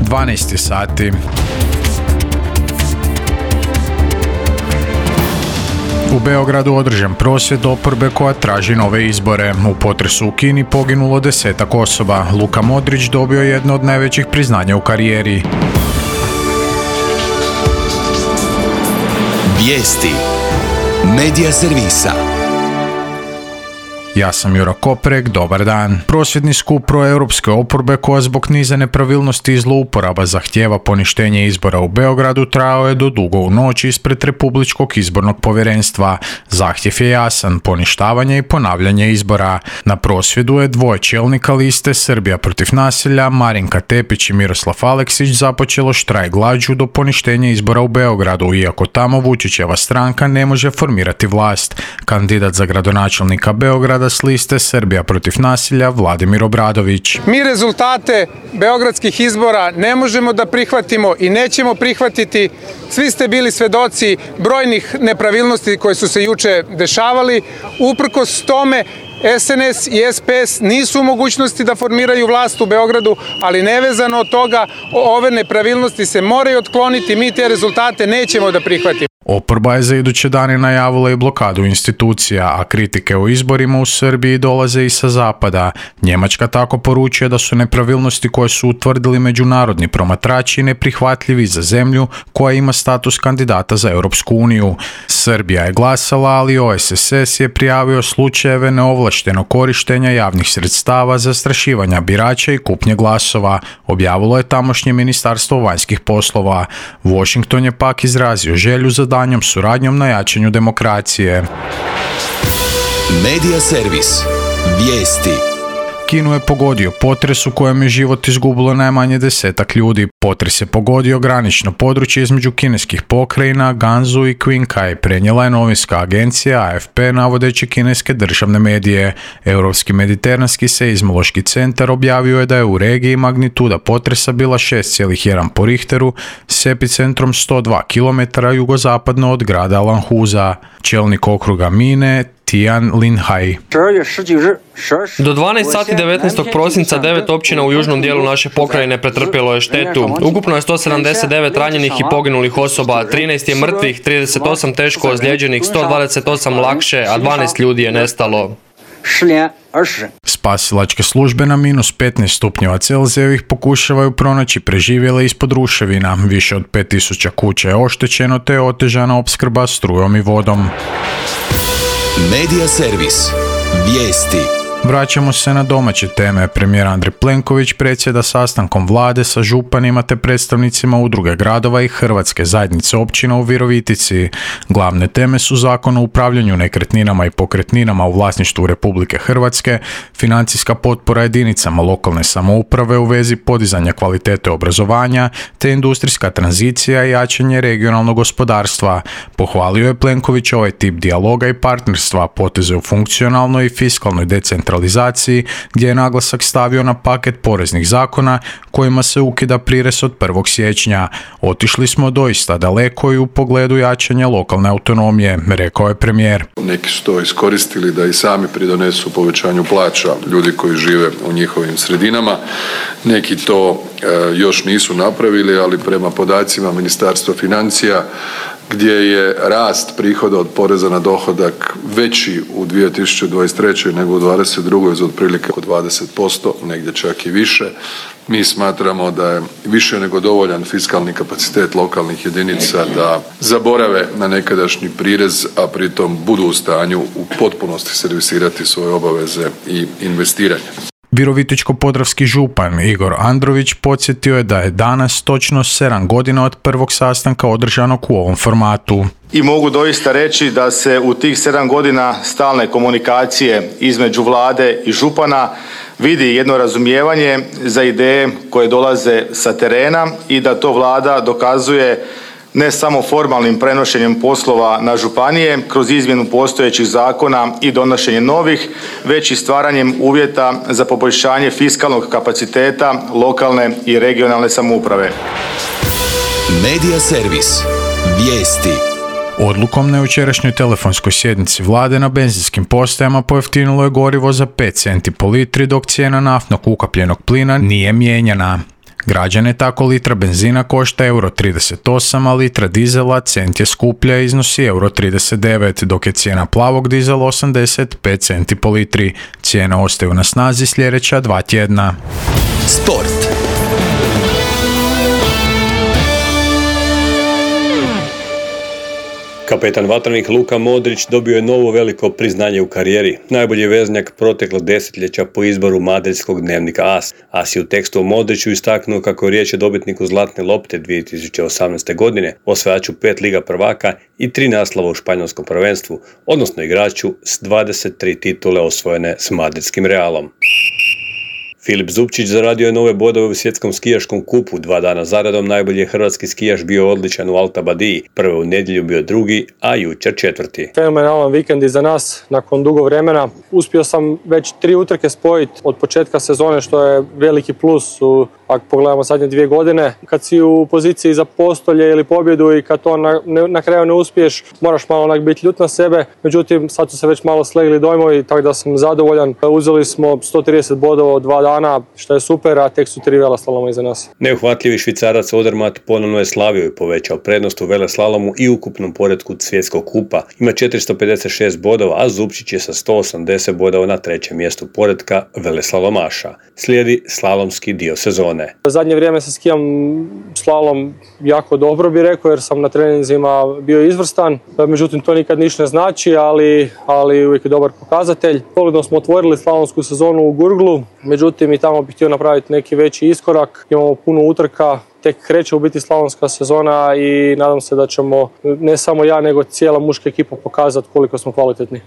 12 sati. U Beogradu održan prosvjed oporbe koja traži nove izbore. U potresu u Kini poginulo 10 osoba. Luka Modrić dobio jedno od najvećih priznanja u karijeri. Vijesti Medija servisa. Ja sam Jura Koprek, dobar dan. Prosvjedni skup proeuropske oporbe koja zbog niza nepravilnosti i zlouporaba zahtijeva poništenje izbora u Beogradu trajao je do dugo u noć ispred Republičkog izbornog povjerenstva. Zahtjev je jasan, poništavanje i ponavljanje izbora. Na prosvjedu je dvoje čelnika liste Srbija protiv nasilja, Marinka Tepić i Miroslav Aleksić, započelo štrajk glađu do poništenja izbora u Beogradu, iako tamo Vučićeva stranka ne može formirati vlast. Kandidat za gradonačelnika Beograda s liste Srbija protiv nasilja Vladimir Obradović. Mi rezultate beogradskih izbora ne možemo da prihvatimo i nećemo prihvatiti. Svi ste bili svedoci brojnih nepravilnosti koje su se juče dešavali. Uprkos tome, SNS i SPS nisu u mogućnosti da formiraju vlast u Beogradu, ali nevezano od toga, ove nepravilnosti se moraju otkloniti. Mi te rezultate nećemo da prihvatimo. Oporba je za iduće dane najavila i blokadu institucija, a kritike o izborima u Srbiji dolaze i sa zapada. Njemačka tako poručuje da su nepravilnosti koje su utvrdili međunarodni promatrači neprihvatljivi za zemlju koja ima status kandidata za Europsku uniju. Srbija je glasala, ali OSSS je prijavio slučajeve neovlaštenog korištenja javnih sredstava, zastrašivanja birača i kupnje glasova, objavilo je tamošnje ministarstvo vanjskih poslova. Washington je pak izrazio želju za daljnjom suradnjom na jačanju demokracije. Medija servis. Vijesti. Kinu je pogodio potres u kojem je život izgubilo najmanje 10 ljudi. Potres je pogodio granično područje između kineskih pokrajina Gansu i Qinghai, prenijela je novinska agencija AFP navodeći kineske državne medije. Europski mediteranski seizmološki centar objavio je da je u regiji magnituda potresa bila 6,1 po Richteru s epicentrom 102 km jugozapadno od grada Lanhuza. Čelnik okruga Mine Tian Linhai. Do 12 sati 19. prosinca 9 općina u južnom dijelu naše pokrajine pretrpjelo je štetu. Ukupno je 179 ranjenih i poginulih osoba, 13 je mrtvih, 38 teško ozlijeđenih, 128 lakše, a 12 ljudi je nestalo. Spasilačke službe na -15 stupnjeva Celzijevih pokušavaju pronaći preživjele ispod ruševina. Više od 5000 kuća je oštećeno te je otežana opskrba strujom i vodom. Medija servis. Vijesti. Vraćamo se na domaće teme. Premijer Andrej Plenković predsjeda sastankom vlade sa županima te predstavnicima udruge gradova i Hrvatske zajednice općina u Virovitici. Glavne teme su Zakon o upravljanju nekretninama i pokretninama u vlasništvu Republike Hrvatske, financijska potpora jedinicama lokalne samouprave u vezi podizanja kvalitete obrazovanja te industrijska tranzicija i jačanje regionalnog gospodarstva. Pohvalio je Plenković ovaj tip dijaloga i partnerstva, poteze u funkcionalnoj i fiskalnoj decentralizaciji, gdje je naglasak stavio na paket poreznih zakona kojima se ukida prirez od 1. siječnja. Otišli smo doista daleko i u pogledu jačanja lokalne autonomije, rekao je premijer. Neki su to iskoristili da i sami pridonesu povećanju plaća ljudi koji žive u njihovim sredinama. Neki to još nisu napravili, ali prema podacima Ministarstva financija, gdje je rast prihoda od poreza na dohodak veći u 2023. nego u 2022. za otprilike oko 20%, negdje čak i više. Mi smatramo da je više nego dovoljan fiskalni kapacitet lokalnih jedinica da zaborave na nekadašnji prirez, a pritom budu u stanju u potpunosti servisirati svoje obaveze i investiranje. Virovitičko-podravski župan Igor Andrović podsjetio je da je danas točno 7 godina od prvog sastanka održanog u ovom formatu. I mogu doista reći da se u tih 7 godina stalne komunikacije između vlade i župana vidi jedno razumijevanje za ideje koje dolaze sa terena i da to vlada dokazuje ne samo formalnim prenošenjem poslova na županije kroz izmjenu postojećih zakona i donošenje novih, već i stvaranjem uvjeta za poboljšanje fiskalnog kapaciteta lokalne i regionalne samouprave. Medija servis. Vijesti. Odlukom na jučerašnjoj telefonskoj sjednici vlade na benzinskim postajama pojeftinilo je gorivo za 5 centi po litri, dok cijena naftnog ukapljenog plina nije mijenjana. Građane tako litra benzina košta euro 38, a litra dizela cent je skuplja i iznosi euro 39, dok je cijena plavog dizela 85 centi po litri. Cijene ostaju na snazi sljedeća 2 tjedna. Sport. Kapetan vatrenih Luka Modrić dobio je novo veliko priznanje u karijeri. Najbolji veznjak proteklog desetljeća po izboru madridskog dnevnika AS. AS je u tekstu o Modriću istaknuo kako je riječ o dobitniku Zlatne lopte 2018. godine, osvajaču 5 Liga prvaka i 3 naslova u španjolskom prvenstvu, odnosno igraču s 23 titule osvojene s madridskim Realom. Filip Zupčić zaradio je nove bodove u svjetskom skijaškom kupu. 2 dana zaredom najbolji je hrvatski skijaš bio odličan u Alta Badiji. Prvo u nedjelju bio drugi, a jučer 4. Fenomenalan vikend iza nas nakon dugo vremena. Uspio sam već 3 utrke spojiti od početka sezone, što je veliki plus ako pogledamo zadnje 2 godine. Kad si u poziciji za postolje ili pobjedu i kad to na kraju ne uspiješ, moraš malo onak biti ljut na sebe. Međutim, sad su se već malo slegli dojmovi, tako da sam zadovoljan. Uzeli smo 130 bodova od 2 dana, što je super, a tek su 3 veleslaloma iza nas. Neuhvatljivi Švicarac Odermatt ponovno je slavio i povećao prednost u veleslalomu i ukupnom poretku svjetskog kupa. Ima 456 bodova, a Zupčić je sa 180 bodova na 3. mjestu poretka veleslalomaša. Slijedi slalomski dio sezone. Zadnje vrijeme se skijam slalom jako dobro, bi rekao, jer sam na treninzima bio izvrstan. Međutim, to nikad ništa ne znači, ali uvijek je dobar pokazatelj. Solidno smo otvorili slalomsku sezonu u Gurglu, međutim i tamo bih htio napraviti neki veći iskorak. Imamo puno utrka, tek kreće u biti slalomska sezona i nadam se da ćemo ne samo ja, nego cijela muška ekipa pokazati koliko smo kvalitetni.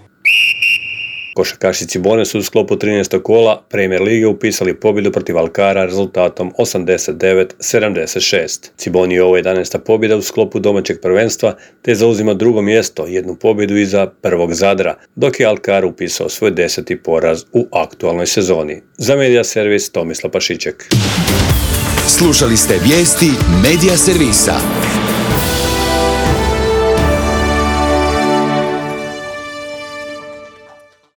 Košarkaši Cibone su u sklopu 13. kola Premier lige upisali pobjedu protiv Alcara rezultatom 89-76. Ciboni je ovo 11. pobjeda u sklopu domaćeg prvenstva, te zauzima 2. mjesto, 1 pobjedu iza prvog Zadra, dok je Alcar upisao svoj 10. poraz u aktualnoj sezoni. Za Media Servis Tomislav Pašiček. Slušali ste vijesti Media Servisa.